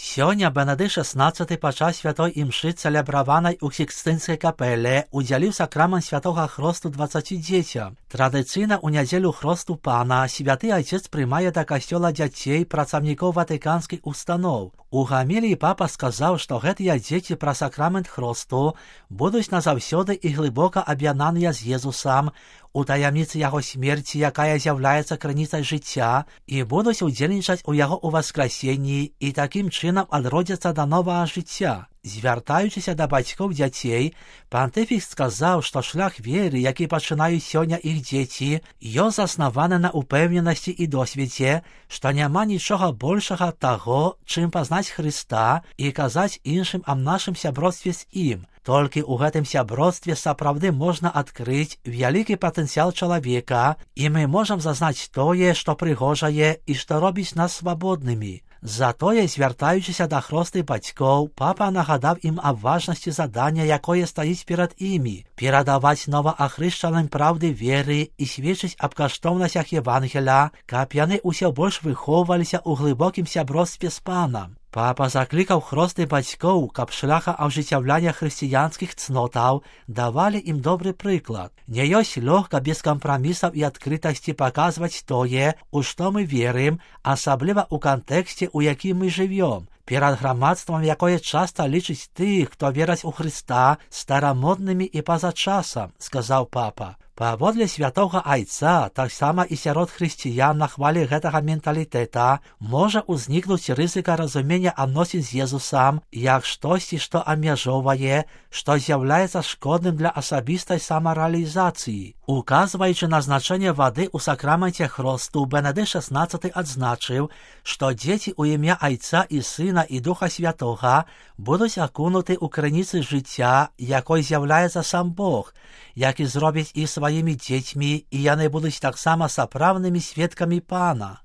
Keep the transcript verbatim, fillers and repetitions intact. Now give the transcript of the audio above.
Сёння Бенедикт шестнадцаты падчас святой імшы цэлебраванай у Сікстынскай капэле удзяліў сакрамент святога хросту дваццаці дзецям. Традыцыйна ў нядзелю хросту Пана святы айцец прымае да касцёла дзяцей працаўнікоў ватыканскіх устаноў. У гаміліі папа сказаў, што гэтыя дзеці пра сакрамент хросту будуць назаўсёды і глыбока аб'яднаныя з Езусам у таямніцы яго смерці, якая з'яўляецца крыніцай жыцця, і будуць удзельнічаць у яго ўваскрасенні і такім чынам адродзяцца да новага жыцця. Звяртаючыся да бацькоў дзяцей, пантыфік сказаў, што шлях веры, які пачынаюць сёння іх дзеці, ён заснаваны на упэўненасці і досведзе, што няма нічога большага таго, чым пазнаць Хрыста і казаць іншым аб нашым сяброцтве з ім. Толькі ў гэтым сяброцтве сапраўды можна адкрыць вялікі патэнцыял чалавека, і мы можам зазнаць тое, што прыгожае і што робіць нас свабоднымі. Затое, звяртаючыся да хросты бацькоў, папа нагадаў ім аб важнасці задання, якое стаіць перад імі, перадаваць новаахрышчаным праўды веры і сведчыць аб каштоўнасцях Евангеля, каб яны ўсё больш выхоўваліся ў глыбокім сяброцтве з Панам. Папа заклікаў хросты бацькоў, каб шляха ажыццяўлення хрысціянскіх цнотаў давалі ім добры прыклад. Не ёсць лёгка без кампрамісаў і адкрытасці паказваць тое, у што мы верым, асабліва ў кантэксце, у якім мы жывём, перад грамадствам, якое часта лічыць тых, хто вераць у Хрыста, старамоднымі і па-за часам, сказаў папа. Паводле святога айца, таксама і сярод хрысціян на хвалі гэтага менталітэта можа ўзнікнуць рызыка разумення адносін з Езусам як штосьці, што абмяжоўвае, што з'яўляецца шкодным для асабістай самарэалізацыі. Указваючы на значэнне вады ў сакраменце хросту, Бенедикт шестнадцаты адзначыў, што дзеці ў імя Айца і Сына і Духа Святога будуць акунуты ў крыніцы жыцця, якой з'яўляецца сам Бог, які зробіць іх сваімі дзецьмі, і яны будуць таксама сапраўднымі сведкамі Пана.